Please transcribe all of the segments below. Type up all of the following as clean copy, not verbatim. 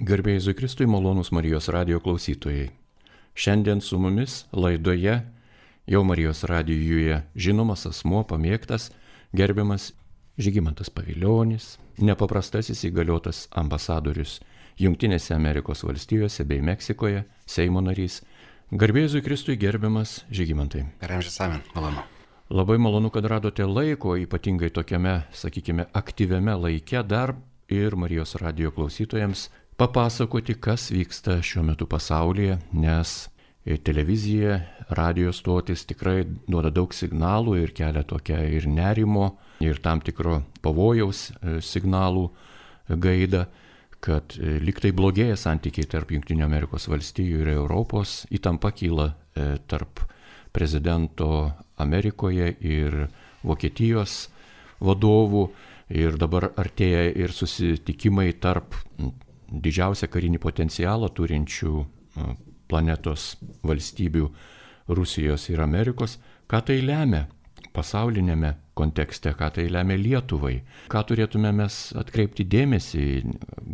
Garbė Jėzui Kristui, malonūs Marijos radijo klausytojai. Šiandien su mumis laidoje jau Marijos radijuje žinomas asmuo, pamėgtas, gerbiamas Žygimantas Pavilionis, nepaprastasis įgaliotas ambasadorius Jungtinėse Amerikos valstijose bei Meksikoje, Seimo narys. Garbė Jėzui Kristui, gerbiamas Žygimantai. Per amžius amen, malonu. Labai malonu, kad radote laiko, ypatingai tokiame, sakykime, aktyviame laike dar ir Marijos radijo klausytojams papasakoti, kas vyksta šiuo metu pasaulyje, nes televizija, radijo stotis tikrai duoda daug signalų ir kelia tokią ir nerimo, ir tam tikro pavojaus signalų gaidą, kad liktai blogėja santykiai tarp Jungtinių Amerikos valstijų ir Europos, įtampa kyla tarp prezidento Amerikoje ir Vokietijos vadovų, ir dabar artėja ir susitikimai tarp didžiausią karinį potencialą turinčių planetos valstybių Rusijos ir Amerikos. Ką tai lemia pasaulinėme kontekste, ką tai lemia Lietuvai, ką turėtume mes atkreipti dėmesį,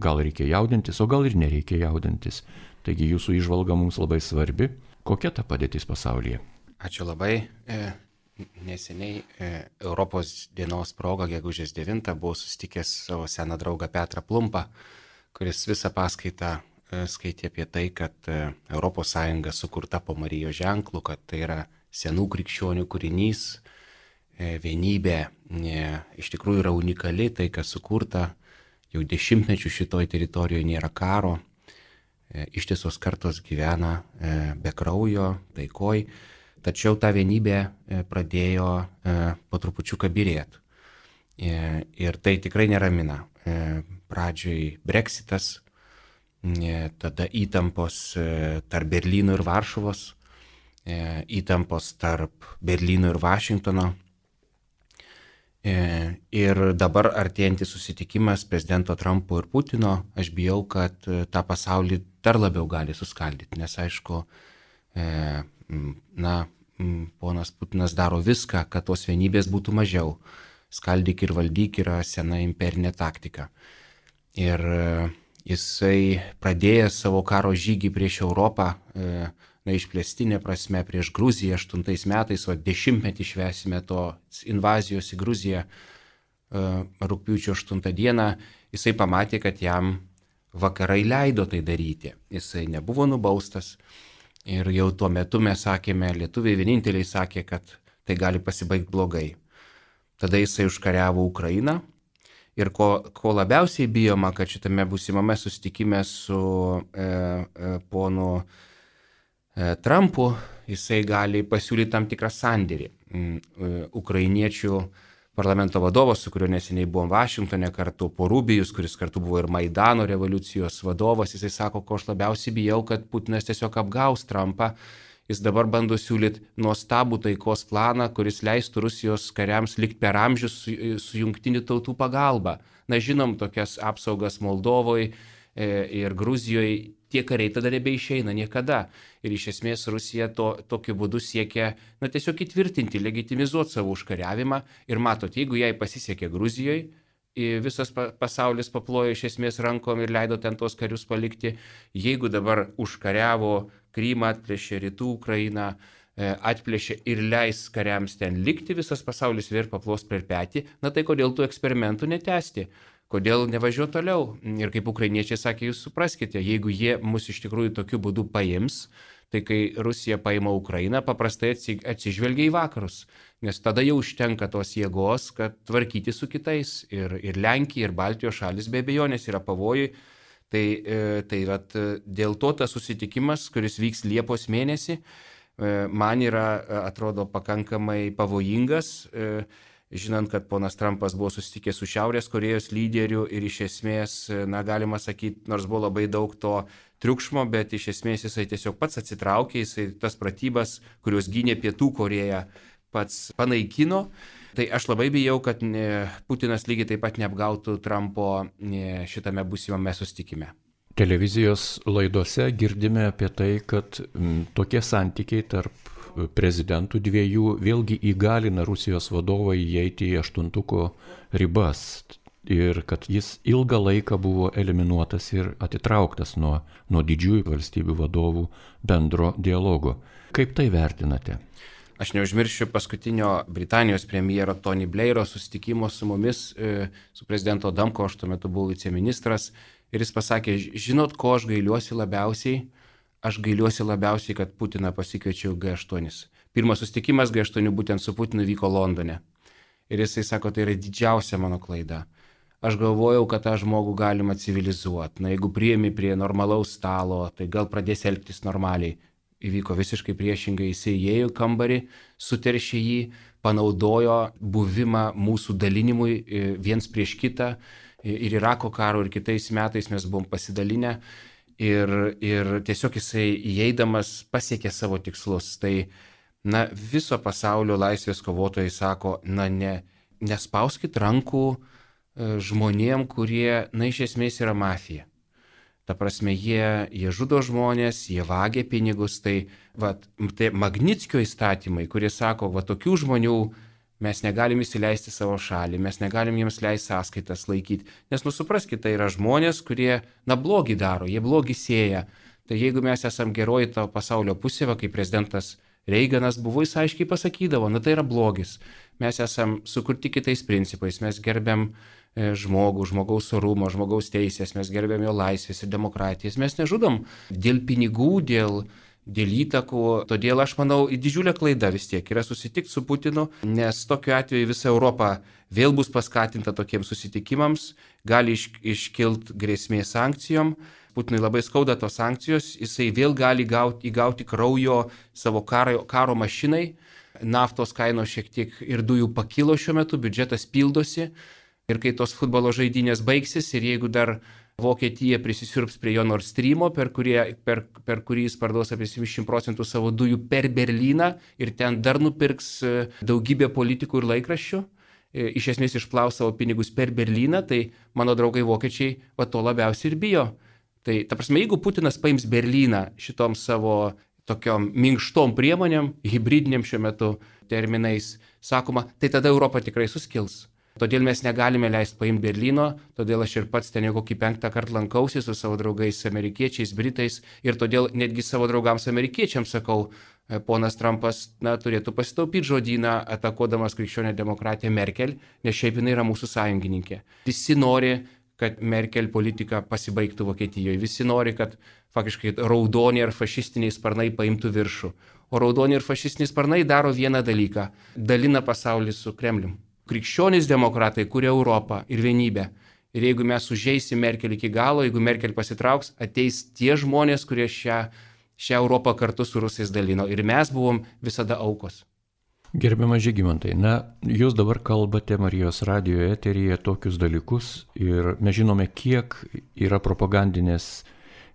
gal reikia jaudintis, o gal ir nereikia jaudintis. Taigi jūsų įžvalga mums labai svarbi. Kokia ta padėtis pasaulyje? Ačiū labai. Neseniai Europos dienos proga, gegužės 9, buvau susitikęs savo seną draugą Petrą Plumpą, kuris visą paskaitą skaitė apie tai, kad ES sukurta po Marijos ženklų, kad tai yra senų krikščionių kūrinys, vienybė iš tikrųjų yra unikali, tai kas sukurta jau dešimtmečių šitoj teritorijoje, nėra karo, ištisos kartos gyvena be kraujo, taikoj, tačiau ta vienybė pradėjo po trupučiuką byrėti. Ir tai tikrai neramina. Pradžioj Brexitas, tada įtampos tarp Berlyno ir Varšuvos, įtampos tarp Berlyno ir Vašingtono. Ir dabar artėjantis susitikimas prezidento Trumpo ir Putino, aš bijau, kad tą pasaulį dar labiau gali suskaldyti, nes aišku, ponas Putinas daro viską, kad tos vienybės būtų mažiau. Skaldyk ir valdyk yra sena imperinė taktika. Ir jisai pradėjęs savo karo žygį prieš Europą, išplėstinė prasme prieš Gruziją 8 metais, o 10-metį švęsime to invazijos į Gruziją rugpjūčio 8 dieną, jisai pamatė, kad jam vakarai leido tai daryti. Jisai nebuvo nubaustas ir jau tuo metu mes sakėme, lietuviai vieninteliai sakė, kad tai gali pasibaigti blogai. Tada jisai užkariavo Ukrainą ir ko labiausiai bijoma, kad šitame būsimame susitikime su ponu Trumpu jisai gali pasiūlyti tam tikrą sandėrį. Ukrainiečių parlamento vadovas, su kuriuo neseniai buvom Vašingtone kartu, Porubijus, kuris kartu buvo ir Maidano revoliucijos vadovas, jisai sako, ko aš labiausiai bijau, kad Putinas tiesiog apgaus Trumpą. Jis dabar bando siūlyti nuostabų taikos planą, kuris leistų Rusijos kariams likti per amžius su jungtinių tautų pagalba. Na, žinom tokias apsaugas Moldovoje ir Gruzijoje, tie kariai tada nebeišeina niekada. Ir iš esmės Rusija tokiu būdu siekia tiesiog įtvirtinti, legitimizuoti savo užkariavimą. Ir matot, jeigu jai pasisekė Gruzijoje, visas pasaulis paplojo iš esmės rankom ir leido ten tos karius palikti. Jeigu dabar užkariavo Krymą, atplėšė rytų Ukrainą, atplėšė ir leis kariams ten likti, visas pasaulis vėl paplos per petį, tai kodėl tų eksperimentų netęsti? Kodėl nevažiuoti toliau? Ir kaip ukrainiečiai sakė, jūs supraskite, jeigu jie mus iš tikrųjų tokiu būdu paims, tai kai Rusija paima Ukrainą, paprastai atsižvelgia į vakarus, nes tada jau užtenka tos jėgos, kad tvarkyti su kitais. Ir Lenkija, ir Baltijos šalis be abejonės yra pavojui. Tai dėl to tas susitikimas, kuris vyks Liepos mėnesį, man atrodo pakankamai pavojingas, žinant, kad ponas Trumpas buvo susitikęs su Šiaurės Korėjos lyderiu ir iš esmės, galima sakyti, nors buvo labai daug to triukšmo, bet iš esmės jisai tiesiog pats atsitraukė, jisai tas pratybas, kurios gynė Pietų Korėją, pats panaikino. Tai aš labai bijau, kad Putinas lygiai taip pat neapgautų Trumpo šitame būsimame susitikime. Televizijos laidose girdime apie tai, kad tokie santykiai tarp prezidentų dviejų vėlgi įgalina Rusijos vadovą įeiti į aštuntuko ribas. ir kad jis ilgą laiką buvo eliminuotas ir atitrauktas nuo didžiųjų valstybių vadovų bendro dialogo. Kaip tai vertinate? Aš neužmiršiu paskutinio Britanijos premjero Tony Blairo susitikimo su mumis, su prezidento Adamko, aš tuo metu buvau viceministras, ir jis pasakė, žinot, ko aš gailiuosi labiausiai? Aš gailiuosi labiausiai, kad Putiną pasikviečiau G8. Pirmas susitikimas G8 būtent su Putinu vyko Londone. Ir jisai sako, tai yra didžiausia mano klaida. Aš galvojau, kad tą žmogų galima civilizuoti. Na, jeigu priimi prie normalaus stalo, tai gal pradės elgtis normaliai. Įvyko visiškai priešingai, jisai įėjo į kambarį, suteršė jį, panaudojo buvimą mūsų dalinimui viens prieš kitą. Ir Irako karo, ir kitais metais mes buvom pasidalinę. Ir tiesiog jisai įeidamas pasiekė savo tikslus. Tai viso pasaulio laisvės kovotojai sako, nespauskit rankų žmonėm, kurie, iš esmės yra mafija. Ta prasme, jie žudo žmonės, jie vagia pinigus, tai Magnitskio įstatymai, kurie sako, tokių žmonių mes negalim įsileisti savo šalį, mes negalim jiems leisti sąskaitas laikyti, nes supraskite, tai yra žmonės, kurie, blogį daro, jie blogį sėja. Tai jeigu mes esam geroji to pasaulio pusė, kaip prezidentas Reiganas buvo, jis aiškiai pasakydavo, tai yra blogis. Mes esam sukurti kitais principais, mes gerbiam žmogų, žmogaus orumą, žmogaus teisės, mes gerbiam jo laisvės ir demokratijas, mes nežudom dėl pinigų, dėl įtakų, todėl aš manau, didžiulė klaida vis tiek yra susitikti su Putinu, nes tokiu atveju visa Europa vėl bus paskatinta tokiems susitikimams, gali iškilt grėsmė sankcijom, Putinui labai skauda tos sankcijos, jisai vėl gali įgauti kraujo savo karo mašinai, naftos kainos šiek tiek ir dujų pakilo šiuo metu, biudžetas pildosi. Ir kai tos futbolo žaidynės baigsis ir jeigu dar Vokietija prisisiurbs prie jo Nord Streamo, per kurį jis parduos apie 70% savo dujų per Berlyną ir ten dar nupirks daugybę politikų ir laikraščių, iš esmės išplaus savo pinigus per Berlyną, tai mano draugai vokiečiai to labiausiai ir bijo. Tai ta prasme, jeigu Putinas paims Berlyną šitom savo tokiom minkštom priemonėm, hibridiniam šiuo metu terminais, sakoma, tai tada Europa tikrai suskils. Todėl mes negalime leisti paimti Berlyno, todėl aš ir pats ten jau kokį 5 kartą lankausi su savo draugais amerikiečiais, britais ir todėl netgi savo draugams amerikiečiams sakau, ponas Trumpas turėtų pasitaupyti žodyną atakuodamas krikščionę demokratiją Merkel, nes šiaip jinai yra mūsų sąjungininkė. Visi nori, kad Merkel politika pasibaigtų Vokietijoje, visi nori, kad faktiškai raudoni ar fašistiniai sparnai paimtų viršų. O raudoni ir fašistiniai sparnai daro vieną dalyką – dalina pasaulį su Kremlium. Krikščionys demokratai kuria Europą ir vienybę. Ir jeigu mes užeisim Merkel iki galo, jeigu Merkel pasitrauks, ateis tie žmonės, kurie šią Europą kartu su rusais dalino. Ir mes buvom visada aukos. Gerbiamas Žygimantai, jūs dabar kalbate Marijos radijo eteryje tokius dalykus ir mes žinome, kiek yra propagandinės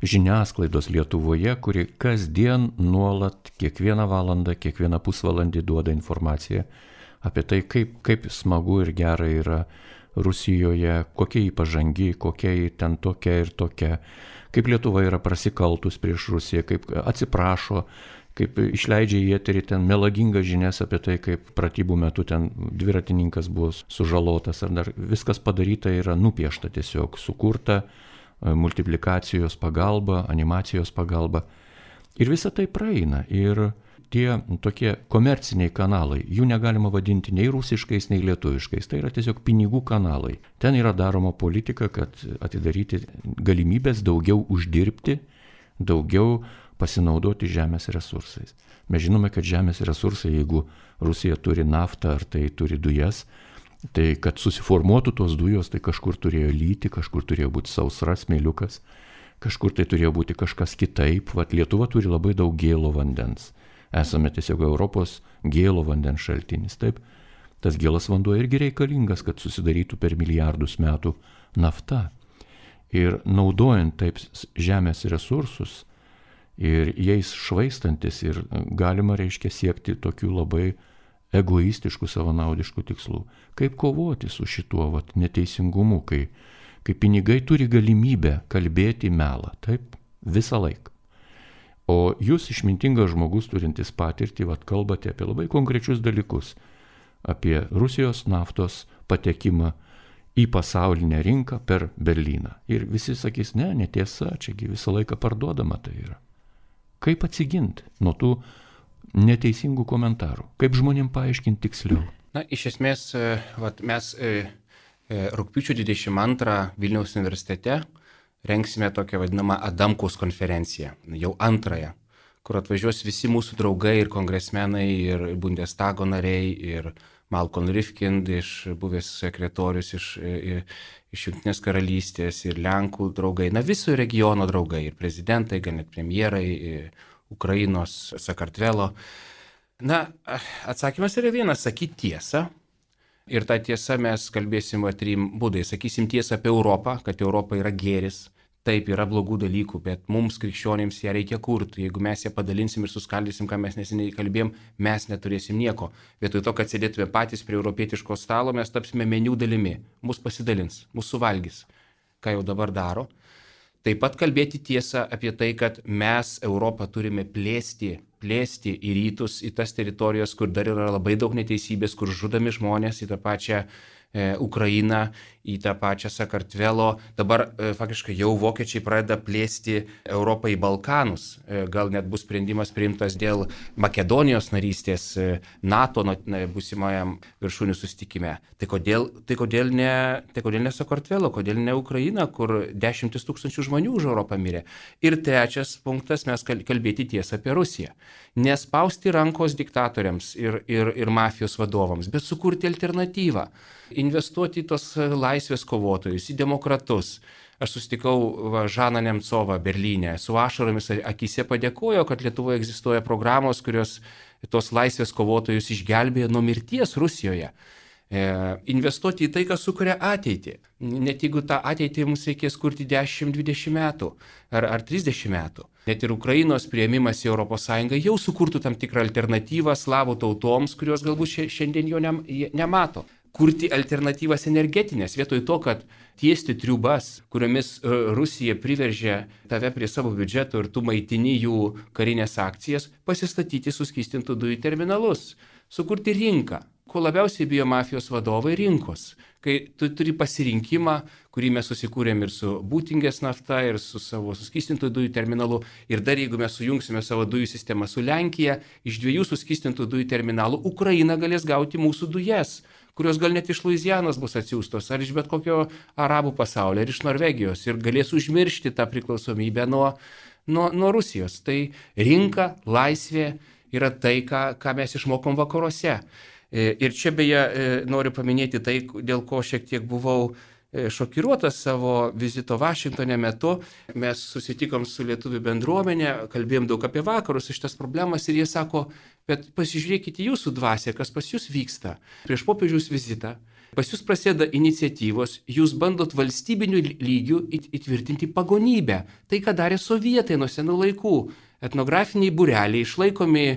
žiniasklaidos Lietuvoje, kuri kasdien nuolat, kiekvieną valandą, kiekvieną pusvalandį duoda informaciją apie tai, kaip smagu ir gera yra Rusijoje, kokia jį pažangi, kokia jį ten tokia ir tokia, kaip Lietuva yra prasikaltus prieš Rusiją, kaip atsiprašo, kaip išleidžia į eterį ten melagingas žinias apie tai, kaip pratybų metu ten dviratininkas buvo sužalotas, ar dar viskas padaryta yra nupiešta tiesiog, sukurta multiplikacijos pagalba, animacijos pagalba. Ir visa tai praeina. Ir tie tokie komerciniai kanalai, jų negalima vadinti nei rusiškais, nei lietuviškais. Tai yra tiesiog pinigų kanalai. Ten yra daroma politika, kad atidaryti galimybės daugiau uždirbti, daugiau pasinaudoti žemės resursais. Mes žinome, kad žemės resursai, jeigu Rusija turi naftą ar tai turi dujas, tai kad susiformuotų tos dujos, tai kažkur turėjo lyti, kažkur turėjo būti sausra, smėliukas, kažkur tai turėjo būti kažkas kitaip. Lietuva turi labai daug gėlo vandens. Esame tiesiog Europos gėlo vandens šaltinis. Taip, tas gėlas vanduo irgi reikalingas, kad susidarytų per milijardus metų nafta. Ir naudojant taip žemės resursus ir jais švaistantis ir galima, siekti tokių labai egoistiškų, savanaudiškų tikslų. Kaip kovoti su šituo neteisingumu, kai pinigai turi galimybę kalbėti melą, taip, visą laiką. O jūs, išmintingas žmogus, turintis patirtį, kalbate apie labai konkrečius dalykus, apie Rusijos naftos patekimą į pasaulinę rinką per Berlyną. Ir visi sakys, ne, netiesa, čiagi visą laiką parduodama tai yra. Kaip atsiginti nuo tų neteisingų komentarų? Kaip žmonėm paaiškinti tiksliau? Na, iš esmės, mes rugpjūčio 22 Vilniaus universitete rengsime tokią vadinamą Adamkaus konferenciją, jau antrąją, kur atvažiuos visi mūsų draugai ir kongresmenai, ir Bundestago nariai, ir Malcolm Rifkind, buvęs sekretorius iš Jungtinės karalystės, ir Lenkų draugai, na viso regiono draugai, ir prezidentai, gal net premjerai, Ukrainos, Sakartvelo. Na, atsakymas yra vienas, sakyti tiesą. Ir tą tiesą mes kalbėsim 3 būdais. Sakysim tiesą apie Europą, kad Europa yra gėris. Taip, yra blogų dalykų, bet mums krikščionėms ją reikia kurti. Jeigu mes ją padalinsim ir suskaldysim, ką mes neseniai kalbėjom, mes neturėsim nieko. Vietoj to, kad sėdėtume patys prie europietiško stalo, mes tapsime meniu dalimi. Mus pasidalins, mus suvalgys, ką jau dabar daro. Taip pat kalbėti tiesą apie tai, kad mes Europą turime plėsti į rytus, į tas teritorijos, kur dar yra labai daug neteisybės, kur žudomi žmonės, į tą pačią Ukrainą, į tą pačią Sakartvelo. Dabar faktiškai jau vokiečiai pradeda plėsti Europą į Balkanus. Gal net bus sprendimas priimtas dėl Makedonijos narystės NATO būsimajam viršūnių susitikime. Tai kodėl ne Sakartvelo, kodėl ne Ukraina, kur 10 000 žmonių už Europą mirė. Ir trečias punktas, mes kalbėti tiesą apie Rusiją. Nespausti rankos diktatoriams ir mafijos vadovams, bet sukurti alternatyvą. Investuoti į tos laisvės kovotojus, į demokratus. Aš susitikau Žaną Nemcovą Berlyne, su ašaromis akise padėkojo, kad Lietuvoje egzistuoja programos, kurios tos laisvės kovotojus išgelbėjo nuo mirties Rusijoje. Investuoti į tai, kas sukuria ateitį. Net jeigu tą ateitį mums reikės kurti 10-20 metų ar 30 metų. Net ir Ukrainos priėmimas į ES jau sukurtų tam tikrą alternatyvą slavų tautoms, kurios galbūt šiandien jo nemato. Kurti alternatyvas energetinės, vietoj to, kad tiesti triubas, kuriomis Rusija priveržė tave prie savo biudžeto ir tu maitini jų karinės akcijas, pasistatyti suskystintų dujų terminalus, sukurti rinką. Ko labiausiai bijo mafijos vadovai - rinkos. Kai tu turi pasirinkimą, kurį mes susikūrėm ir su Būtingės nafta, ir su savo suskystintų dujų terminalu, ir dar jeigu mes sujungsime savo dujų sistemą su Lenkija, iš 2 suskystintų dujų terminalų Ukraina galės gauti mūsų dujas, kurios gal net iš Luizianos bus atsiųstos, ar iš bet kokio arabų pasaulio, ar iš Norvegijos, ir galės užmiršti tą priklausomybę nuo Rusijos. Tai rinka, laisvė yra tai, ką mes išmokom vakaruose. Ir čia beje noriu paminėti tai, dėl ko šiek tiek buvau šokiruotas savo vizito Vašingtone metu. Mes susitikom su lietuvių bendruomenė, kalbėjom daug apie vakarus, šitas problemas, ir jie sako, bet pasižiūrėkite jūsų dvasią, kas pas jūs vyksta. Prieš popiežiaus vizitą pas jūs prasideda iniciatyvos, jūs bandot valstybinių lygių įtvirtinti pagonybę. Tai, ką darė sovietai nuo senų laikų. Etnografiniai būreliai išlaikomi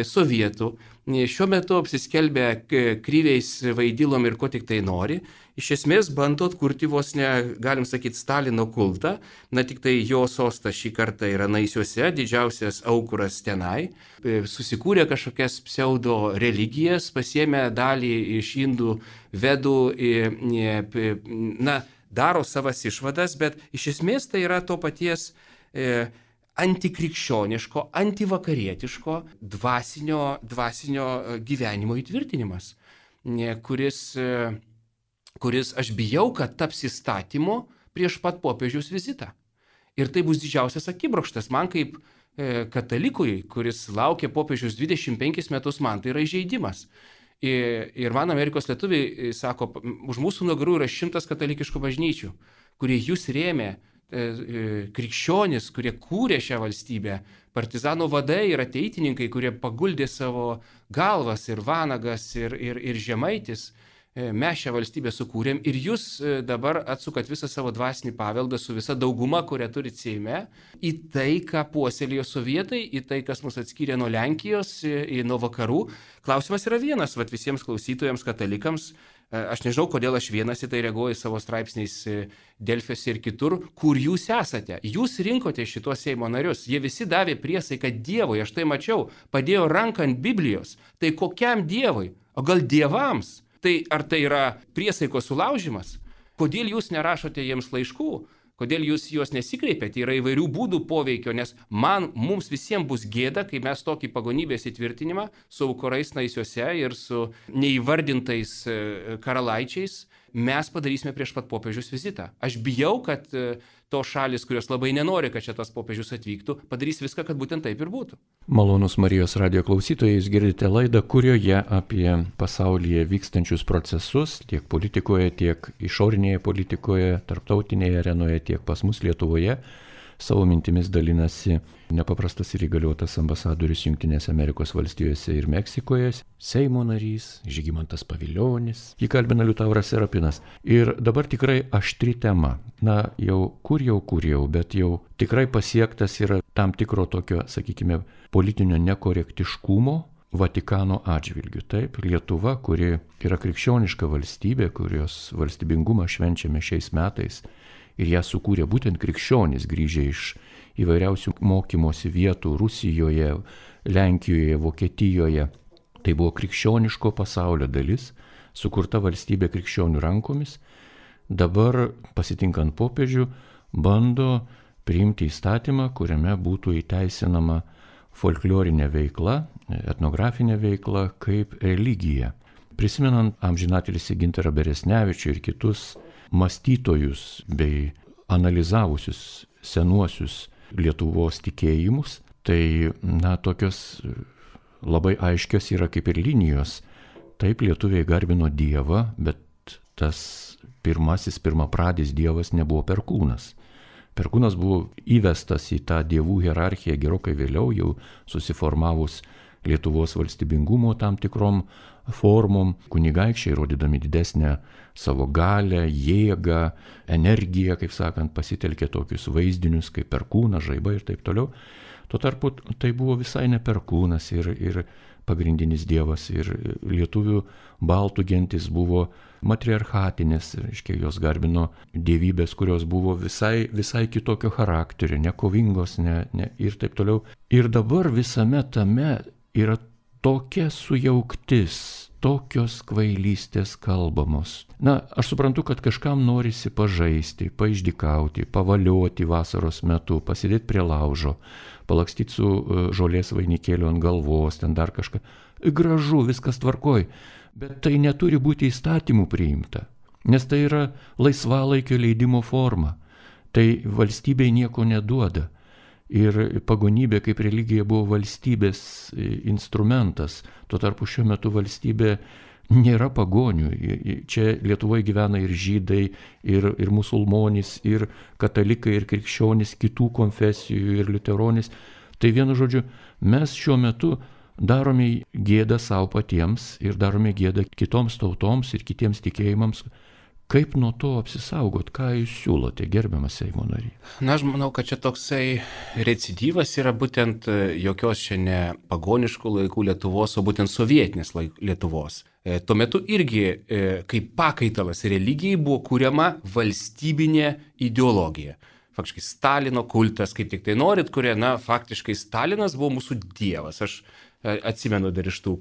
sovietų, šiuo metu apsiskelbę kryviais, vaidilom ir ko tik tai nori. Iš esmės bando atkurti vos ne, galim sakyti, Stalino kultą, na tik tai jo sostas šį kartą yra Naisiuose, didžiausias aukuras tenai, susikūrė kažkokias pseudo religijas, pasiėmė dalį iš indų vedų, na, daro savas išvadas, bet iš esmės tai yra to paties antikrikščioniško, antivakarietiško dvasinio gyvenimo įtvirtinimas, kuris aš bijau, kad taps įstatymu prieš pat popiežiaus vizitą. Ir tai bus didžiausias akibrokštas. Man kaip katalikui, kuris laukia popiežiaus 25 metus, man tai yra įžeidimas. Ir man Amerikos lietuviai sako, už mūsų nugarų yra 100 katalikiškų bažnyčių, kurie jūs rėmė, krikščionis, kurie kūrė šią valstybę, partizanų vadai ir ateitininkai, kurie paguldė savo galvas, ir Vanagas, ir Žemaitis. Mes šią valstybę sukūrėm ir jūs dabar atsukat visą savo dvasinį paveldą su visa dauguma, kurią turit Seime, į tai, ką puoselėjo sovietai, į tai, kas mus atskyrė nuo Lenkijos, nuo vakarų. Klausimas yra vienas, visiems klausytojams, katalikams. Aš nežinau, kodėl aš vienas į tai reaguoju savo straipsniais Delfiuose ir kitur, kur jūs esate. Jūs rinkote šitos Seimo narius. Jie visi davė priesaiką Dievui, aš tai mačiau, padėjo ranką ant Biblijos. Tai kokiam Dievui? O gal dievams? Tai ar tai yra priesaikos sulaužimas? Kodėl jūs nerašote jiems laiškų? Kodėl jūs juos nesikreipiate? Yra įvairių būdų poveikio, nes mums visiems bus gėda, kai mes tokį pagonybės įtvirtinimą su aukurais naisiuose ir su neįvardintais karalaičiais mes padarysime prieš pat popiežius vizitą. Aš bijau, kad tos šalis, kurios labai nenori, kad čia tas popiežius atvyktų, padarys viską, kad būtent taip ir būtų. Malonus Marijos radijo klausytojai, jūs girdite laidą, kurioje apie pasaulyje vykstančius procesus, tiek politikoje, tiek išorinėje politikoje, tarptautinėje arenoje, tiek pas mus Lietuvoje, savo mintimis dalinasi nepaprastas ir įgaliotas ambasadorius Jungtinėse Amerikos valstijose ir Meksikoje, Seimo narys Žygimantas Pavilionis, jį kalbina Liutauras Serapinas. Ir dabar tikrai aštri tema. Na, kur jau, bet jau tikrai pasiektas yra tam tikro tokio, sakykime, politinio nekorektiškumo Vatikano atžvilgių. Taip, Lietuva, kuri yra krikščioniška valstybė, kurios valstybingumą švenčiame šiais metais, ir ją sukūrė būtent krikščionys grįžę iš įvairiausių mokymosi vietų Rusijoje, Lenkijoje, Vokietijoje. Tai buvo krikščioniško pasaulio dalis, sukurta valstybė krikščionių rankomis. Dabar, pasitinkant popiežių, bando priimti įstatymą, kuriame būtų įteisinama folklorinė veikla, etnografinė veikla kaip religija. Prisimenant amžinatilsį Gintarą Beresnevičių ir kitus mąstytojus bei analizavusius senuosius Lietuvos tikėjimus, tai, tokios labai aiškios yra kaip ir linijos. Taip, lietuviai garbino Dievą, bet tas pirmapradis Dievas nebuvo Perkūnas. Perkūnas buvo įvestas į tą dievų hierarchiją gerokai vėliau, jau susiformavus Lietuvos valstybingumo tam tikrom formom, kunigaikščiai, rodydami didesnę savo galę, jėgą, energiją, kaip sakant, pasitelkė tokius vaizdinius kaip Perkūnas, žaibai ir taip toliau. Tuo tarpu tai buvo visai ne Perkūnas ir pagrindinis dievas, ir lietuvių baltų gentis buvo matriarchatinės, reiškia, jos garbino dievybės, kurios buvo visai kitokio charakterio, nekovingos, ir taip toliau. Ir dabar visame tame yra tokia sujauktis, tokios kvailystės kalbamos. Aš suprantu, kad kažkam norisi pažaisti, paišdykauti, pavalioti vasaros metu, pasidėti prie laužo, palakstyti su žolės vainikėliu ant galvos, ten dar kažką. Gražu, viskas tvarkoj, bet tai neturi būti įstatymų priimta, nes tai yra laisvalaikio leidimo forma. Tai valstybei nieko neduoda. Ir pagonybė kaip religija buvo valstybės instrumentas. Tuo tarpu šiuo metu valstybė nėra pagonių. Čia Lietuvoje gyvena ir žydai, ir musulmonys, ir katalikai, ir krikščionys, kitų konfesijų, ir liuteronys. Tai vienu žodžiu, mes šiuo metu darome gėdą savo patiems ir darome gėdą kitoms tautoms ir kitiems tikėjimams. Kaip nuo to apsisaugot? Ką jūs siūlote, gerbiamas Seimo nary? Aš manau, kad čia toksai recidyvas yra būtent jokios čia ne pagoniškų laikų Lietuvos, o būtent sovietinės Lietuvos. Tuo metu irgi kaip pakaitalas religijai buvo kuriama valstybinė ideologija. Faktiškai Stalino kultas, kaip tik tai norit, kurie, faktiškai Stalinas buvo mūsų dievas. Aš atsimenu dar iš tų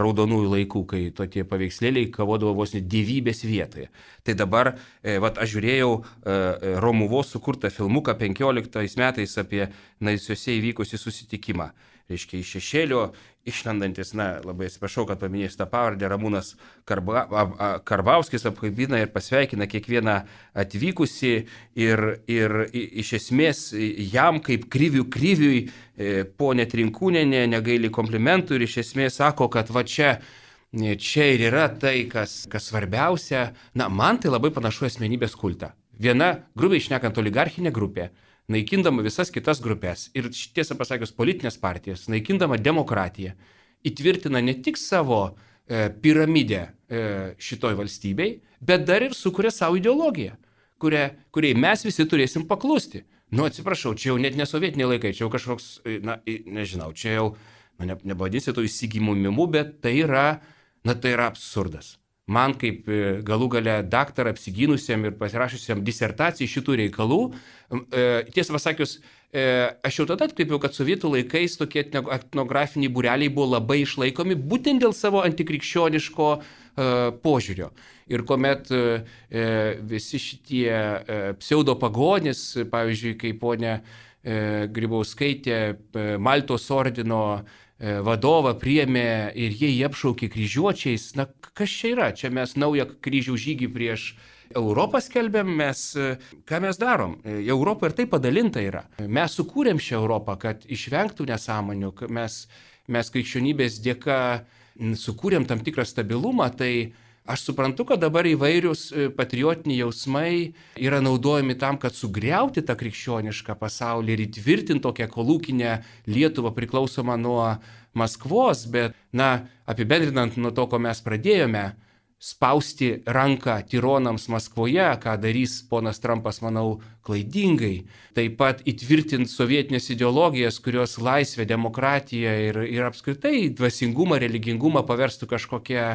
raudonųjų laikų, kai tokie paveikslėliai kavodavo vos ne dievybės vietoje. Tai dabar, aš žiūrėjau Romuvos sukurtą filmuką 15 metais apie naisiuose įvykusį susitikimą. Reiškia, iš šešėlio išlendantis, labai atsiprašau, kad paminėsiu tą pavardę, Ramūnas Karbauskis apkabina ir pasveikina kiekvieną atvykusi ir iš esmės jam kaip kriviui ponė Trinkūnienė negaili komplimentų ir iš esmės sako, kad čia ir yra tai, kas svarbiausia. Man tai labai panašu asmenybės kultą. Viena, grubiai šnekant, oligarchinė grupė, naikindama visas kitas grupės ir, tiesą pasakius, politinės partijas, naikindama demokratiją, įtvirtina ne tik savo piramidę šitoj valstybei, bet dar ir sukuria savo ideologiją, kuriai mes visi turėsim paklusti. Atsiprašau, čia jau net ne sovietiniai laikai, čia jau kažkoks, nežinau, čia jau, nepavadinsi to įsigimumimu, bet tai yra absurdas. Man kaip galų gale daktarą apsigynusiam ir pasirašusiam disertacijai šitų reikalų, tiesą pasakius, aš jau tada atkreipiau, kad sovietų laikais tokie etnografiniai būreliai buvo labai išlaikomi būtent dėl savo antikrikščioniško požiūrio. Ir kuomet visi šitie pseudopagonys, pavyzdžiui, kaip ponia Grybauskaitė Maltos ordino vadovą priėmė ir jie jį apšaukė kryžiuočiais, na kas čia yra? Čia mes naują kryžių žygį prieš Europą skelbėm, ką mes darom? Europa ir tai padalinta yra. Mes sukūrėm šią Europą, kad išvengtų nesąmonių, mes krikščionybės dėka sukūrėm tam tikrą stabilumą, tai aš suprantu, kad dabar įvairius patriotiniai jausmai yra naudojami tam, kad sugriauti tą krikščionišką pasaulį ir įtvirtinti tokią kolūkinę Lietuvą priklausomą nuo Maskvos, bet, apibendrinant nuo to, ko mes pradėjome, spausti ranką tironams Maskvoje, ką darys ponas Trumpas, manau, klaidingai. Taip pat įtvirtinti sovietinės ideologijas, kurios laisvę, demokratiją ir apskritai dvasingumą, religingumą paverstų kažkokią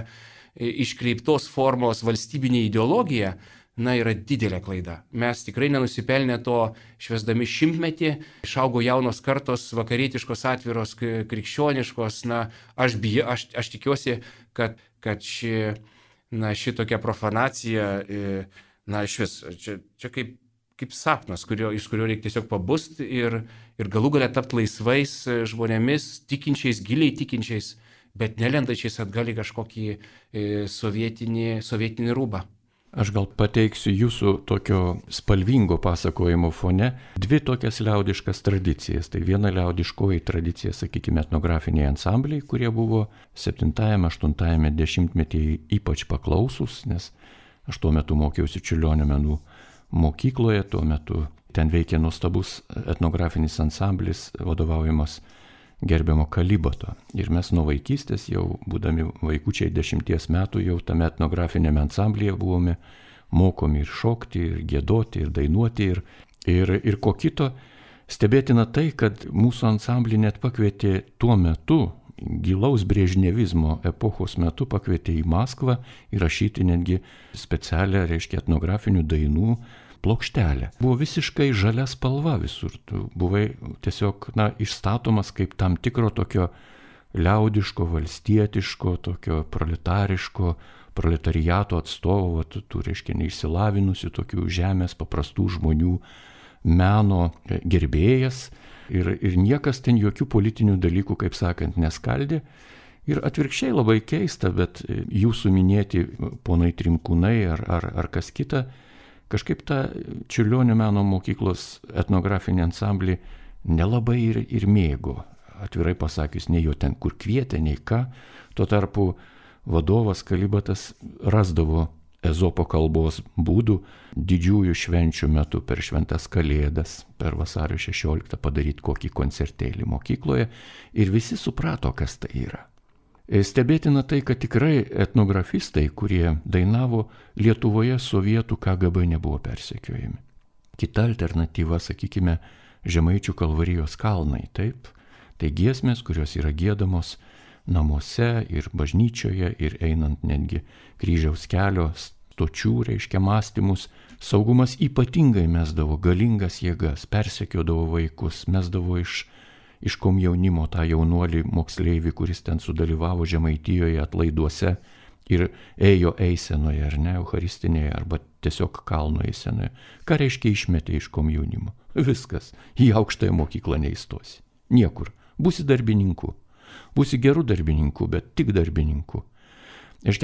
iškreiptos formos valstybinė ideologija, yra didelė klaida. Mes tikrai nenusipelnė to švęsdami 100-metį, išaugo jaunos kartos, vakarietiškos, atviros, krikščioniškos, aš tikiuosi, kad šitokia profanacija, iš vis, čia kaip sapnas, iš kurio reikia tiesiog pabust ir galų galia tapti laisvais žmonėmis, tikinčiais, giliai tikinčiais, bet nelendačiais atgal į kažkokį sovietinį rūbą. Aš gal pateiksiu jūsų tokio spalvingo pasakojimo fone dvi tokias liaudiškas tradicijas. Tai viena liaudiškoji tradicija, sakykime, etnografiniai ansambliai, kurie buvo 7-8 dešimtmetyje ypač paklausus, nes aš tuo metu mokiausi Čiurlionio menų mokykloje, tuo metu ten veikė nuostabus etnografinis ansamblis vadovaujamas gerbiamo Kalibato. Ir mes nuo vaikystės, jau būdami vaikučiai 10 metų, jau tame etnografinėme ansamblyje buvome mokomi ir šokti, ir giedoti, ir dainuoti, ir ko kito. Stebėtina tai, kad mūsų ansamblį net pakvietė tuo metu, gilaus brežnevizmo epochos metu, pakvietė į Maskvą įrašyti netgi specialią, etnografinių dainų plokštelę. Buvo visiškai žalia spalva visur. Tu buvai tiesiog išstatomas kaip tam tikro tokio liaudiško, valstietiško, tokio proletariato atstovo, tų neišsilavinusių tokių žemės paprastų žmonių meno gerbėjas ir niekas ten jokių politinių dalykų, kaip sakant, neskaldė. Ir atvirkščiai labai keista, bet jūsų minėti ponai Trimkūnai ar kas kita, kažkaip tą Čiurlionio meno mokyklos etnografinį ansamblį nelabai ir mėgo. Atvirai pasakius, nei jo ten kur kvietė, nei ką. Tuo tarpu vadovas Kalibatas rasdavo Ezopo kalbos būdų didžiųjų švenčių metu per šventas Kalėdas, per vasario 16 padaryti kokį koncertėlį mokykloje ir visi suprato, kas tai yra. Stebėtina tai, kad tikrai etnografistai, kurie dainavo Lietuvoje, sovietų KGB nebuvo persekiojami. Kita alternatyva, sakykime, Žemaičių Kalvarijos kalnai, taip. Tai giesmės, kurios yra giedamos namuose ir bažnyčioje ir einant netgi kryžiaus kelio stočių, mąstymus. Saugumas ypatingai mesdavo galingas jėgas, persekiodavo vaikus, mesdavo iš komjaunimo tą jaunuolį moksleivį, kuris ten sudalyvavo Žemaitijoje atlaiduose ir ėjo eisenoje, ar ne, eucharistinėje, arba tiesiog kalno eisenoje. Ką reiškia išmetė iš komjaunimo? Viskas, į aukštąją mokyklą neįstosi. Niekur. Būsi darbininku. Būsi gerų darbininkų, bet tik darbininkų.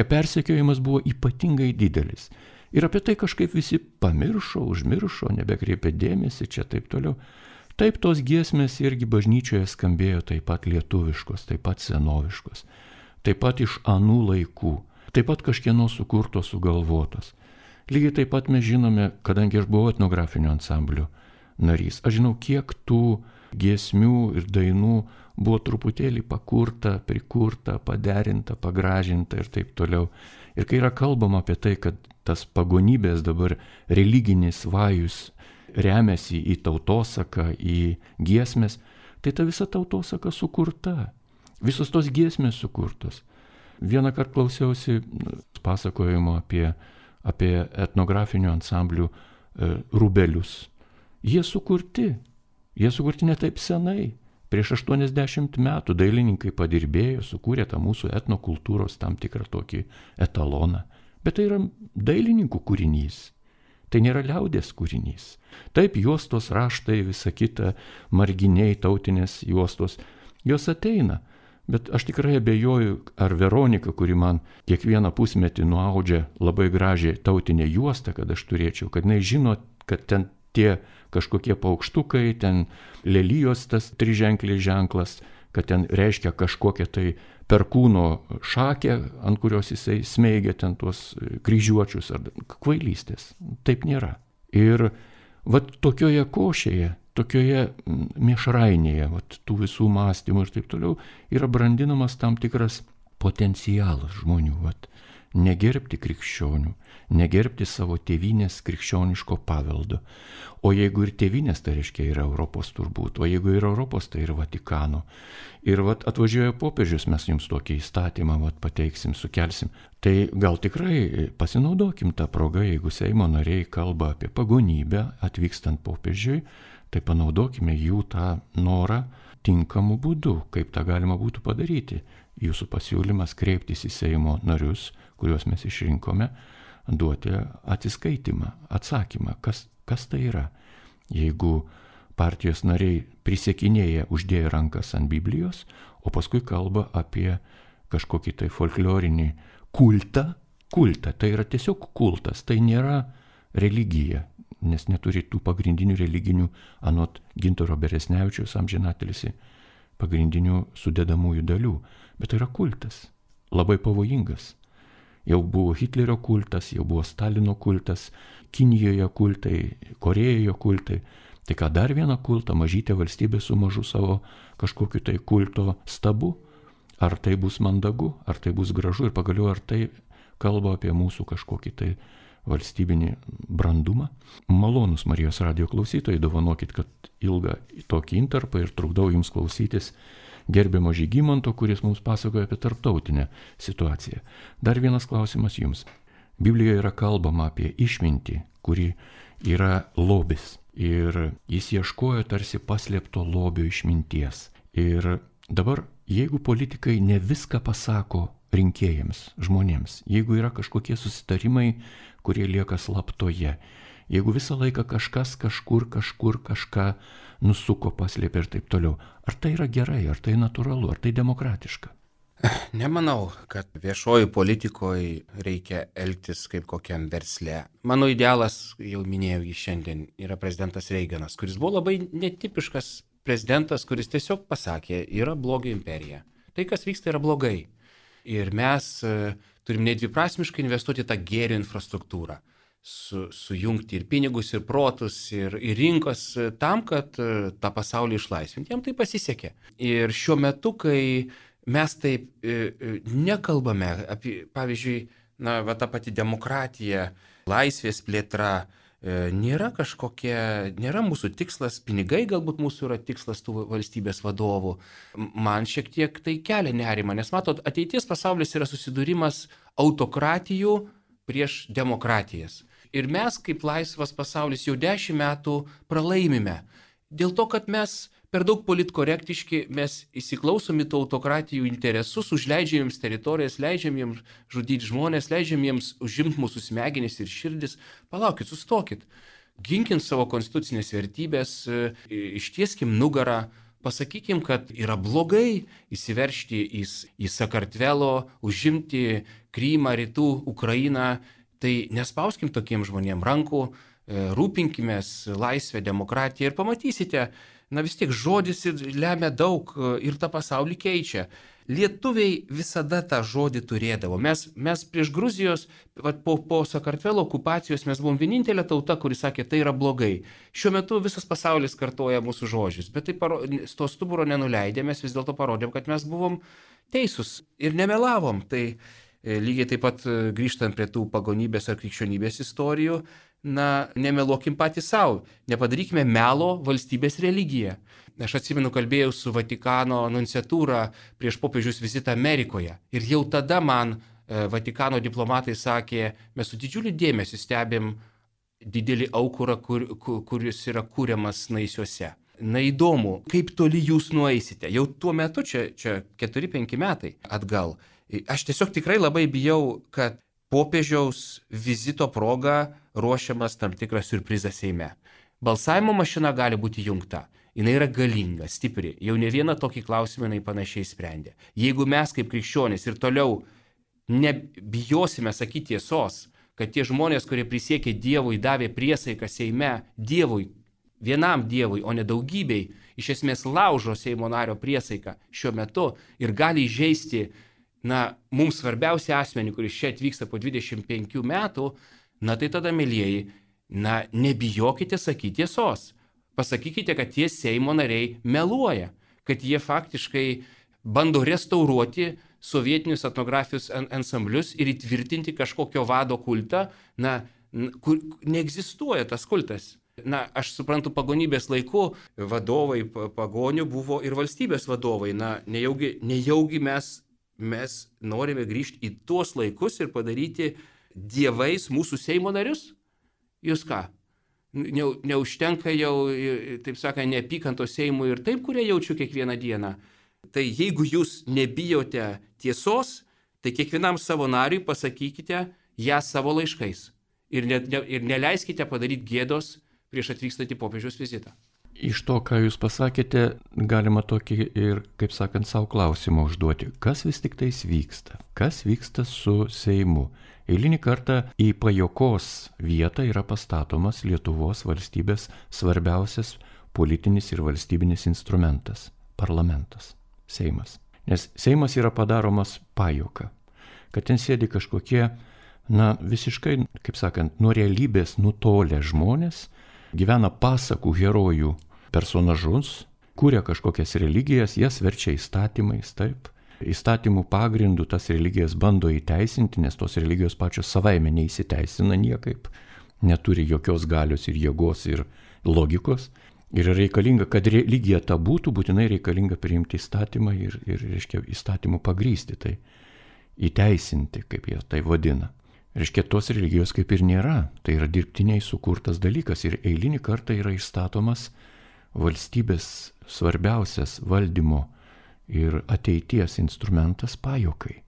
Persekiojimas buvo ypatingai didelis. Ir apie tai kažkaip visi pamiršo, užmiršo, nebekreipė dėmesį, čia taip toliau. Taip, tos giesmės irgi bažnyčioje skambėjo taip pat lietuviškos, taip pat senoviškos, taip pat iš anų laikų, taip pat kažkieno sukurtos, sugalvotos. Lygiai taip pat mes žinome, kadangi aš buvau etnografinio ansamblio narys, aš žinau, kiek tų giesmių ir dainų buvo truputėlį pakurta, prikurta, paderinta, pagražinta ir taip toliau. Ir kai yra kalbama apie tai, kad tas pagonybės dabar religinis vajus remiasi į tautosaką, į giesmės, tai ta visa tautosaka sukurta. Visos tos giesmės sukurtos. Vieną kartą klausiausi pasakojimo apie etnografinių ansamblių rūbelius. Jie sukurti. Jie sukurti ne taip senai. Prieš 80 metų dailininkai padirbėjo, sukūrė tą mūsų etnokultūros tam tikrą tokį etaloną. Bet tai yra dailininkų kūrinys. Tai nėra liaudės kūrinys. Taip, juostos, raštai, visa kita, marginiai, tautinės juostos, jos ateina. Bet aš tikrai abejoju, ar Veronika, kuri man kiekvieną pusmetį nuaudžia labai gražiai tautinę juostą, kad aš turėčiau, kad jinai žino, kad ten tie kažkokie paukštukai, ten lelijos tas triženklis ženklas, kad ten reiškia kažkokią tai perkūno šakę, ant kurios jisai smeigia ten tuos kryžiuočius ar kvailystės. Taip nėra. Ir vat tokioje košėje, tokioje miešrainėje, vat tų visų mąstymų ir taip toliau, yra brandinamas tam tikras potencialas žmonių, vat negerbti krikščionių, negerbti savo tėvynės krikščioniško paveldo. O jeigu ir tėvynės, tai reiškia yra Europos turbūt, o jeigu yra Europos, tai yra Vatikano. Ir vat atvažiuoja popiežius, mes jums tokį įstatymą vat pateiksim, sukelsim. Tai gal tikrai pasinaudokim tą progą, jeigu Seimo nariai kalba apie pagonybę atvykstant popiežiui, tai panaudokime jų tą norą tinkamu būdu, kaip tą galima būtų padaryti. Jūsų pasiūlymas kreiptis į Seimo narius, kuriuos mes išrinkome, duoti atsiskaitimą, atsakymą, kas tai yra. Jeigu partijos nariai prisiekinėja uždėję rankas ant Biblijos, o paskui kalba apie kažkokį tai folklorinį kultą, tai yra tiesiog kultas, tai nėra religija, nes neturi tų pagrindinių religinių, anot Gintaro Beresnevičiaus amžinatilsį, pagrindinių sudedamųjų dalių, bet tai yra kultas, labai pavojingas. Jau buvo Hitlerio kultas, jau buvo Stalino kultas, Kinijoje kultai, Korėjoje kultai. Tai ką dar vieną kultą, mažytė valstybė su mažu savo kažkokiu tai kulto stabu? Ar tai bus mandagu, ar tai bus gražu ir pagaliau ar tai kalba apie mūsų kažkokį tai valstybinį brandumą? Malonus Marijos radijo klausytojai, dovanokit, kad ilgą tokį intarpą ir trukdau jums klausytis gerbiamo Žygimanto, kuris mums pasakoja apie tarptautinę situaciją. Dar vienas klausimas jums. Biblijoje yra kalbama apie išmintį, kuri yra lobis. Ir jis ieškojo tarsi paslėpto lobio išminties. Ir dabar, jeigu politikai ne viską pasako rinkėjams, žmonėms, jeigu yra kažkokie susitarimai, kurie lieka slaptoje, jeigu visą laiką kažkas kažkur kažką nusuko, paslėpė ir taip toliau. Ar tai yra gerai, ar tai natūralu, ar tai demokratiška? Nemanau, kad viešoji politikoje reikia elgtis kaip kokiam versle. Mano idealas, jau minėjau jį šiandien, yra prezidentas Reiganas, kuris buvo labai netipiškas prezidentas, kuris tiesiog pasakė, yra blogio imperija. Tai, kas vyksta, yra blogai. Ir mes turim nedviprasmiškai investuoti tą gėrio infrastruktūrą. Sujungti ir pinigus, ir protus, ir rinkos tam, kad tą pasaulį išlaisvinti. Jam tai pasisekė. Ir šiuo metu, kai mes taip nekalbame apie, pavyzdžiui, ta pati demokratija, laisvės plėtra, nėra mūsų tikslas, pinigai galbūt mūsų yra tikslas tų valstybės vadovų. Man šiek tiek tai kelia nerimą, nes matot, ateities pasaulis yra susidūrimas autokratijų prieš demokratijas. Ir mes, kaip laisvas pasaulis, jau 10 metų pralaimime. Dėl to, kad mes per daug politkorektiški, mes įsiklausom į tų autokratijų interesus, užleidžiam jiems teritorijas, leidžiam jiems žudyti žmonės, leidžiam jiems užimti mūsų smegenis ir širdis. Palaukit, sustokit. Ginkim savo konstitucinės vertybės, ištieskim nugarą, pasakykim, kad yra blogai įsiveržti į Sakartvelo, užimti Krymą, rytų Ukrainą. Tai nespauskim tokiem žmonėm rankų, rūpinkimės laisvę, demokratiją ir pamatysite, vis tiek žodis lemia daug ir tą pasaulį keičia. Lietuviai visada tą žodį turėdavo. Mes prieš Gruzijos, po Sakartvelo okupacijos mes buvom vienintelė tauta, kuri sakė, tai yra blogai. Šiuo metu visas pasaulis kartoja mūsų žodžius, bet tai to stuburo nenuleidė, mes vis dėlto parodėm, kad mes buvom teisūs ir nemelavom. Tai lygiai taip pat grįžtant prie tų pagonybės ar krikščionybės istorijų, nemeluokim patys savo, nepadarykime melo valstybės religiją. Aš atsimenu, kalbėjau su Vatikano nunciatūra prieš popiežiaus vizitą Amerikoje ir jau tada man Vatikano diplomatai sakė, mes su didžiuliu dėmesiu stebim didelį aukurą, kuris yra kuriamas Naisiuose. Neįdomu, kaip toli jūs nueisite. Jau tuo metu, čia 4-5 metai atgal, aš tiesiog tikrai labai bijau, kad popiežiaus vizito proga ruošiamas tam tikras siurprizas Seime. Balsavimo mašina gali būti jungta. Jis yra galinga, stipri. Jau ne vieną tokį klausimą jinai panašiai sprendė. Jeigu mes kaip krikščionys ir toliau nebijosime sakyti tiesos, kad tie žmonės, kurie prisiekė Dievui, davė priesaiką Seime Dievui, vienam Dievui, o ne daugybei, iš esmės laužo Seimo nario priesaiką šiuo metu ir gali įžeisti, mums svarbiausią asmenį, kuris čia atvyksta po 25 metų, tai tada, mielieji, nebijokite sakyti tiesos. Pasakykite, kad tie Seimo nariai meluoja, kad jie faktiškai bando restauruoti sovietinius etnografijos ansamblius ir įtvirtinti kažkokio vado kultą, kur neegzistuoja tas kultas. Aš suprantu, pagonybės laiku vadovai pagonių buvo ir valstybės vadovai. Nejaugi mes norime grįžti į tuos laikus ir padaryti dievais mūsų Seimo narius? Jūs ką? Neužtenka jau, taip sakant, neapykantos Seimui ir taip, kurie jaučiu kiekvieną dieną. Tai jeigu jūs nebijote tiesos, tai kiekvienam savo nariui pasakykite ją savo laiškais. Ir neleiskite padaryti gėdos prieš atvykstant į popiežiaus vizitą. Iš to, ką jūs pasakėte, galima tokį ir, kaip sakant, savo klausimą užduoti. Kas vis tik tais vyksta? Kas vyksta su Seimu? Eilinį kartą į pajokos vietą yra pastatomas Lietuvos valstybės svarbiausias politinis ir valstybinis instrumentas – parlamentas, Seimas. Nes Seimas yra padaromas pajoka, kad ten sėdi kažkokie, visiškai, kaip sakant, nuo realybės nutolę žmonės, gyvena pasakų herojų personažus, kuria kažkokias religijas, jas verčia įstatymais, taip. Įstatymų pagrindų tas religijas bando įteisinti, nes tos religijos pačios savaime neįsiteisina niekaip, neturi jokios galios ir jėgos ir logikos. Ir reikalinga, kad religija ta būtų, būtinai reikalinga priimti įstatymą ir reiškia, įstatymų pagrysti, tai įteisinti, kaip jie tai vadina. Reiškia, tos religijos kaip ir nėra, tai yra dirbtiniai sukurtas dalykas ir eilinį kartą yra išstatomas valstybės svarbiausias valdymo ir ateities instrumentas pajokai.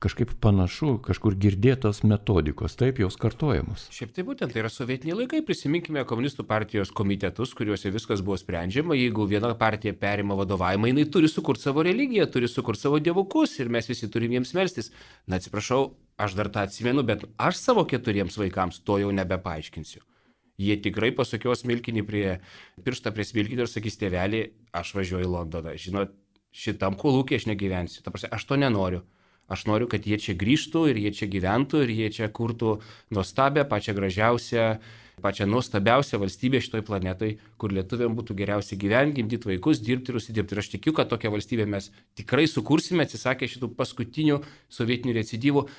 Kažkaip panašu, kažkur girdėtos metodikos, taip jos kartojamos. Šiaip tai būtent, tai yra sovietiniai laikai, prisiminkime komunistų partijos komitetus, kuriuose viskas buvo sprendžiama, jeigu viena partija perima vadovavimą, jinai turi sukurti savo religiją, turi sukurti savo dievukus ir mes visi turim jiems melstis. Atsiprašau, aš dar tą atsimenu, bet aš savo 4 vaikams to jau nebepaaiškinsiu. Jie tikrai pasukios smilkinį pirštą prie smilkinio ir sakys, tėvelį, aš važiuoju į Londoną. Žinot, šitam kolūkiai aš negyvensiu. Aš to nenoriu. Aš noriu, kad jie čia grįžtų ir jie čia gyventų ir jie čia kurtų nuostabią, pačią gražiausią, pačią nuostabiausią valstybę šitoj planetoj, kur lietuviam būtų geriausia gyventi, gimdyti vaikus, dirbti ir užsidirbti. Ir aš tikiu, kad tokią valstybę mes tikrai sukursime, atsisakę šitų paskutinių sovietinių recidivų.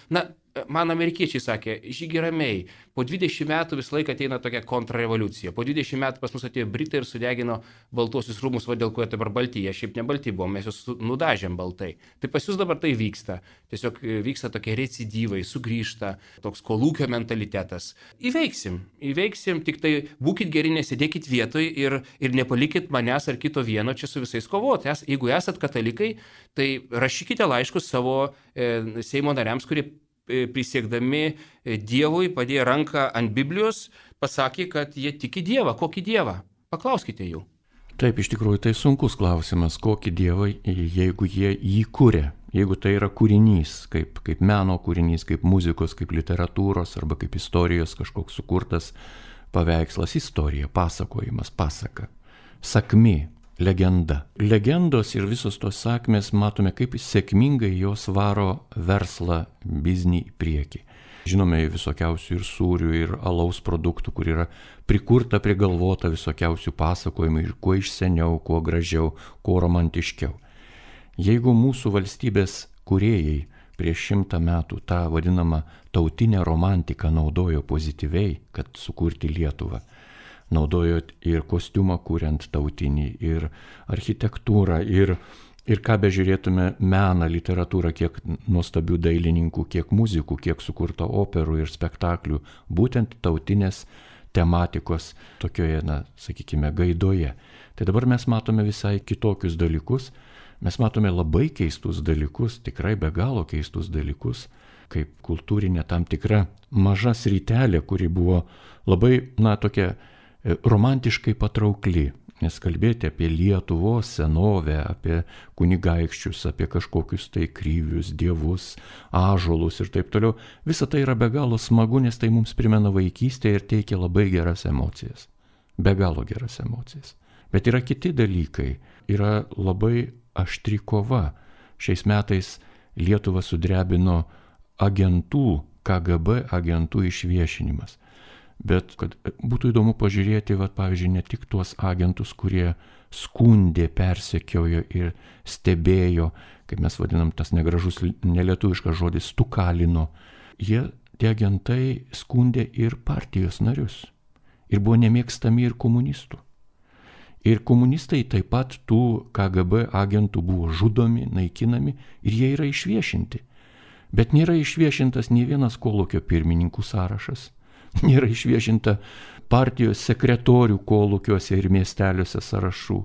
Man amerikiečiai sakė, žygi ramiai, po 20 metų visą laiką ateina tokia kontrrevoliucija. Po 20 metų pas mus atėjo Britai ir sudegino Baltuosius rūmus, dėl ko jie dabar balti. Jie šiaip ne balti buvo, mes juos nudažėm baltai. Tai pas jūs dabar tai vyksta. Tiesiog vyksta tokie recidyvai, sugrįžta, toks kolūkio mentalitetas. Įveiksim, tik tai būkit geri, nesėdėkit vietoj ir nepalikit manęs ar kito vieno čia su visais kovoti. Jeigu esat katalikai, tai rašykite laiškus savo Seimo nariams, kurie prisiekdami Dievui padėjo ranką ant Biblijos, pasakė, kad jie tiki Dievą. Kokį Dievą? Paklauskite jų. Taip, iš tikrųjų tai sunkus klausimas, kokį Dievą, jeigu jie jį kuria. Jeigu tai yra kūrinys, kaip meno kūrinys, kaip muzikos, kaip literatūros arba kaip istorijos kažkoks sukurtas paveikslas, istorija, pasakojimas, pasaka, sakmė, legenda. Legendos ir visos tos sakmės matome, kaip sėkmingai jos varo verslą, biznį į priekį. Žinome visokiausių ir sūrių, ir alaus produktų, kur yra prikurta, prigalvota visokiausių pasakojimų ir kuo iš seniau, kuo gražiau, kuo romantiškiau. Jeigu mūsų valstybės kūrėjai prieš 100 metų tą vadinamą tautinę romantiką naudojo pozityviai, kad sukurti Lietuvą, naudojo ir kostiumą kuriant tautinį, ir architektūrą, ir ką bežiūrėtume meną, literatūrą, kiek nuostabių dailininkų, kiek muzikų, kiek sukurta operų ir spektaklių, būtent tautinės tematikos tokioje, sakykime, gaidoje. Tai dabar mes matome visai kitokius dalykus, mes matome labai keistus dalykus, tikrai be galo keistus dalykus, kaip kultūrinė tam tikra maža sritelė, kuri buvo labai, tokia romantiškai patraukli. Nes kalbėti apie Lietuvos senovę, apie kunigaikščius, apie kažkokius tai kryvius, dievus, ąžuolus ir taip toliau, visa tai yra be galo smagu, nes tai mums primena vaikystę ir teikia labai geras emocijas. Be galo geras emocijas. Bet yra kiti dalykai, yra labai aštri kova. Šiais metais Lietuvą sudrebino agentų, KGB agentų išviešinimas. Bet kad būtų įdomu pažiūrėti, pavyzdžiui, ne tik tuos agentus, kurie skundė, persekiojo ir stebėjo, kaip mes vadinam tas negražus nelietuviškas žodis, stukalino. Tie agentai skundė ir partijos narius. Ir buvo nemėgstami ir komunistų. Ir komunistai taip pat tų KGB agentų buvo žudomi, naikinami ir jie yra išviešinti. Bet nėra išviešintas nei vienas kolūkio pirmininkų sąrašas. Nėra išviešinta partijos sekretorių kolūkiuose ir miesteliuose sąrašų.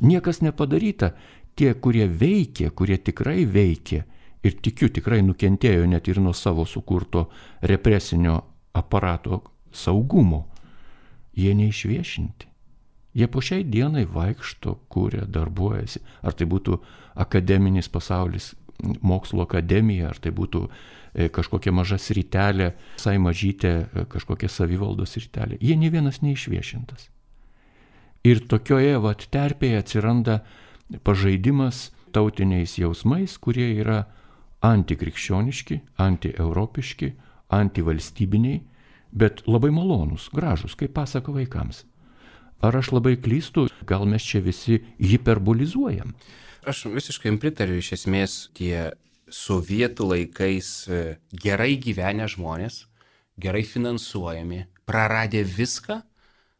Niekas nepadaryta. Tie, kurie veikė, kurie tikrai veikė ir tikiu tikrai nukentėjo net ir nuo savo sukurto represinio aparato saugumo, jie neišviešinti. Jie po šiai dienai vaikšto, kuria, darbuojasi. Ar tai būtų akademinis pasaulis, mokslo akademija, ar tai būtų kažkokia maža sritelė, visai mažytė kažkokia savivaldos sritelė. Jie nei vienas neišviešintas. Ir tokioje terpėje atsiranda pažaidimas tautiniais jausmais, kurie yra antikrikščioniški, antieuropiški, antivalstybiniai, bet labai malonūs, gražūs, kaip pasako vaikams. Ar aš labai klystu, gal mes čia visi hiperbolizuojam? Aš visiškai pritariu, iš esmės tie sovietų laikais gerai gyvenę žmonės, gerai finansuojami, praradę viską,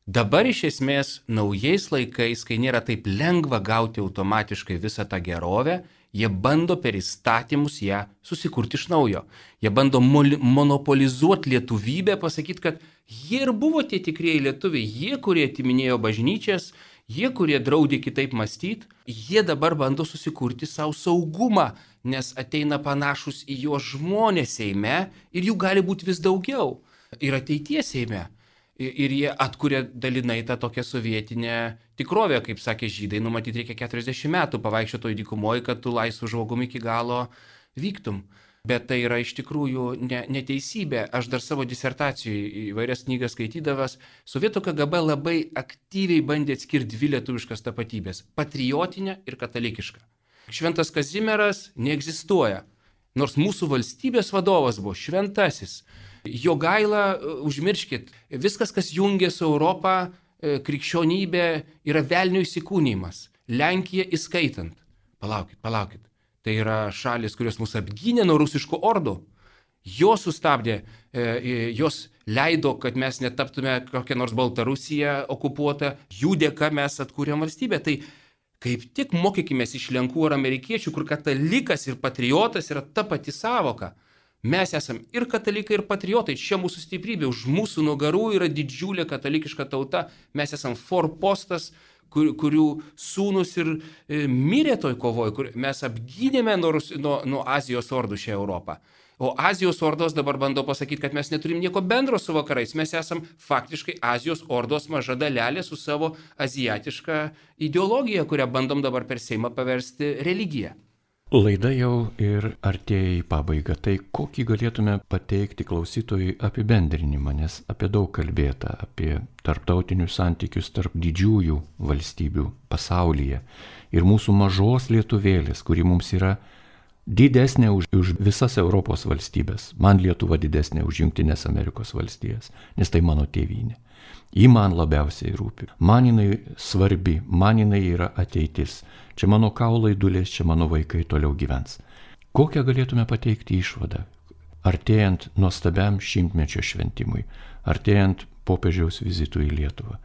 dabar iš esmės naujais laikais, kai nėra taip lengva gauti automatiškai visą tą gerovę, jie bando per įstatymus ją susikurti iš naujo. Jie bando monopolizuoti lietuvybę, pasakyti, kad jie ir buvo tie tikrieji lietuviai, jie, kurie atiminėjo bažnyčias, jie, kurie draudė kitaip mąstyti, jie dabar bando susikurti savo saugumą, nes ateina panašus į jo žmonės Seime ir jų gali būti vis daugiau. Ir ateities Seime. Ir jie atkuria dalinai tą tokią sovietinę tikrovę, kaip sakė žydai, numatyti reikia 40 metų pavaikščiotoj dykumoje, kad tu laisvu žmogumi iki galo vyktum. Bet tai yra iš tikrųjų neteisybė. Aš dar savo disertacijoje įvairias knygas skaitydavas, sovietų KGB labai aktyviai bandė atskirti dvi lietuviškas tapatybės – patriotinę ir katalikišką. Šventas Kazimieras neegzistuoja, nors mūsų valstybės vadovas buvo šventasis. Jogaila, užmirškit, viskas, kas jungia su Europą, krikščionybė, yra velnio įsikūnymas. Lenkija įskaitant. Palaukit. Tai yra šalis, kurios mus apgynė nuo rusiškų ordų. Jos sustabdė, jos leido, kad mes netaptume kokią nors Baltarusiją okupuotą. Jų dėka mes atkūrėm valstybę. Tai kaip tik mokykimės iš Lenkų ar amerikiečių, kur katalikas ir patriotas yra ta pati sąvoka. Mes esam ir katalikai, ir patriotai. Čia mūsų stiprybė. Už mūsų nugarų yra didžiulė katalikiška tauta. Mes esam forpostas, kurių sūnus ir mirė toj kovoj, kur mes apgynėme nuo Azijos ordų šią Europą. O Azijos ordos dabar bando pasakyti, kad mes neturim nieko bendro su vakarais. Mes esam faktiškai Azijos ordos maža dalelė su savo aziatiška ideologija, kurią bandom dabar per Seimą paversti religiją. Laida jau ir artėja į pabaigą. Tai kokį galėtume pateikti klausytojui apibendrinimą, nes apie daug kalbėta, apie tarptautinius santykius tarp didžiųjų valstybių pasaulyje ir mūsų mažos lietuvėlės, kuri mums yra didesnė už visas Europos valstybės. Man Lietuva didesnė už Jungtinės Amerikos valstijas, nes tai mano tėvynė. Ji man labiausiai rūpi. Man jinai svarbi, man jinai yra ateitis. Čia mano kaulai dulės, čia mano vaikai toliau gyvens. Kokią galėtume pateikti išvadą? Artėjant nuostabiam 100-mečio šventimui, artėjant popiežiaus vizitui į Lietuvą,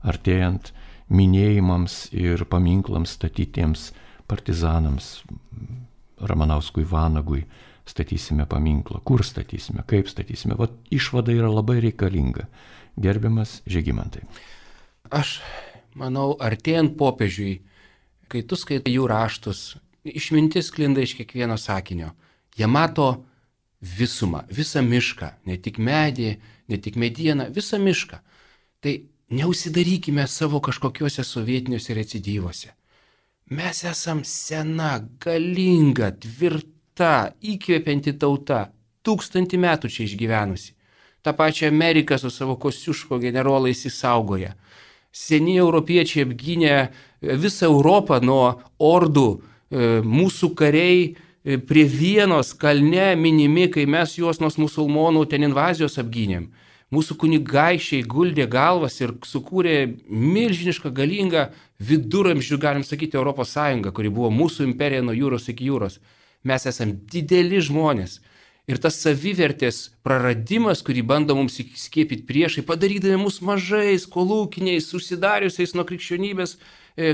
artėjant minėjimams ir paminklams statytiems partizanams, Ramanauskui, Vanagui, statysime paminklą. Kur statysime, kaip statysime? Vat išvada yra labai reikalinga. Gerbiamas Žygimantai. Aš manau, artėjant popiežiui, kai tu skaitai jų raštus, išmintis sklinda iš kiekvieno sakinio. Jie mato visumą, visą mišką, ne tik medį, ne tik medieną, visą mišką. Tai neusidarykime savo kažkokiuose sovietiniuose recidyvuose. Mes esam sena, galinga, tvirta, įkvepianti tauta, 1000 metų čia išgyvenusi. Ta pačia Amerika su savo Kosciuško generolais įsaugoja. Seni europiečiai apgynė visą Europą nuo ordų, mūsų kariai prie Vienos kalne minimi, kai mes juos nuo musulmonų ten invazijos apgynėm. Mūsų kunigaišiai guldė galvas ir sukūrė milžinišką galingą viduramžių, galim sakyti, Europos Sąjungą, kuri buvo mūsų imperija nuo jūros iki jūros. Mes esam dideli žmonės. Ir tas savivertės praradimas, kurį bando mums skiepyti priešai, padarydami mus mažais, kolūkiniais, susidariusiais nuo krikščionybės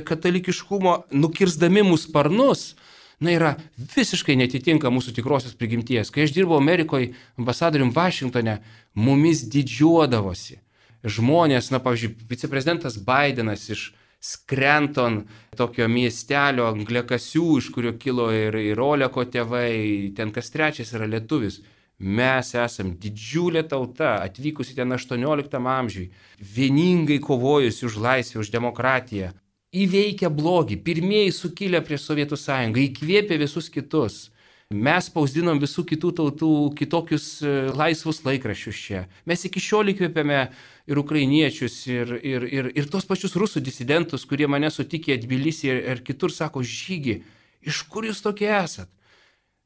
katalikiškumo, nukirsdami mūsų sparnus, yra visiškai netitinka mūsų tikrosios prigimties. Kai aš dirbau Amerikoje ambasadorium Vašingtone, mumis didžiuodavosi žmonės, pavyzdžiui, viceprezidentas Bidenas iš Scranton, tokio miestelio angliakasių, iš kurio kilo ir Oleko tėvai, ten kas trečias yra lietuvis. Mes esam didžiulė tauta, atvykusi ten 18 amžiui, vieningai kovojusi už laisvę, už demokratiją, įveikę blogį, pirmieji sukilę prieš Sovietų sąjungą, įkvėpė visus kitus. Mes spausdinom visų kitų tautų kitokius laisvus laikraščius čia. Mes iki šiol įkvėpėme ir ukrainiečius, ir tos pačius rusų disidentus, kurie mane sutikė Tbilisį ir kitur, sako, Žygi, iš kur jūs tokie esat?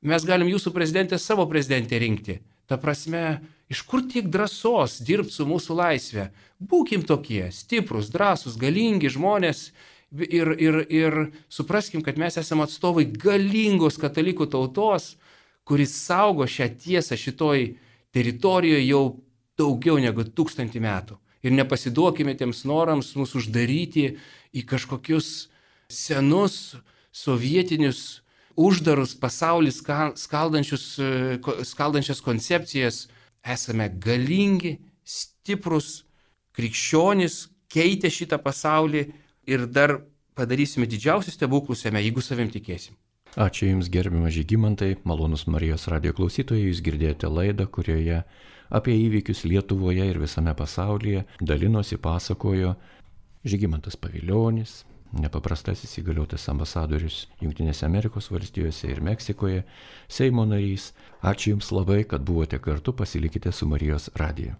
Mes galim jūsų prezidentę savo prezidentę rinkti. Ta prasme, iš kur tiek drąsos dirbti su mūsų laisvė? Būkim tokie, stiprus, drąsus, galingi žmonės. Ir supraskim, kad mes esame atstovai galingos katalikų tautos, kuris saugo šią tiesą šitoj teritorijoje jau daugiau negu 1000 metų. Ir nepasiduokime tiems norams mus uždaryti į kažkokius senus, sovietinius, uždarus pasaulį skaldančias koncepcijas. Esame galingi, stiprus, krikščionys, keitė šitą pasaulį. Ir dar padarysime didžiausius stebuklus jame, jeigu savim tikėsim. Ačiū Jums, gerbiamas Žygimantai, malonus Marijos radijo klausytojai, Jūs girdėjote laidą, kurioje apie įvykius Lietuvoje ir visame pasaulyje dalinosi, pasakojo Žygimantas Pavilionis, nepaprastasis įgaliotas ambasadorius Jungtinėse Amerikos valstijose ir Meksikoje, Seimo narys. Ačiū Jums labai, kad buvote kartu, pasilikite su Marijos radiju.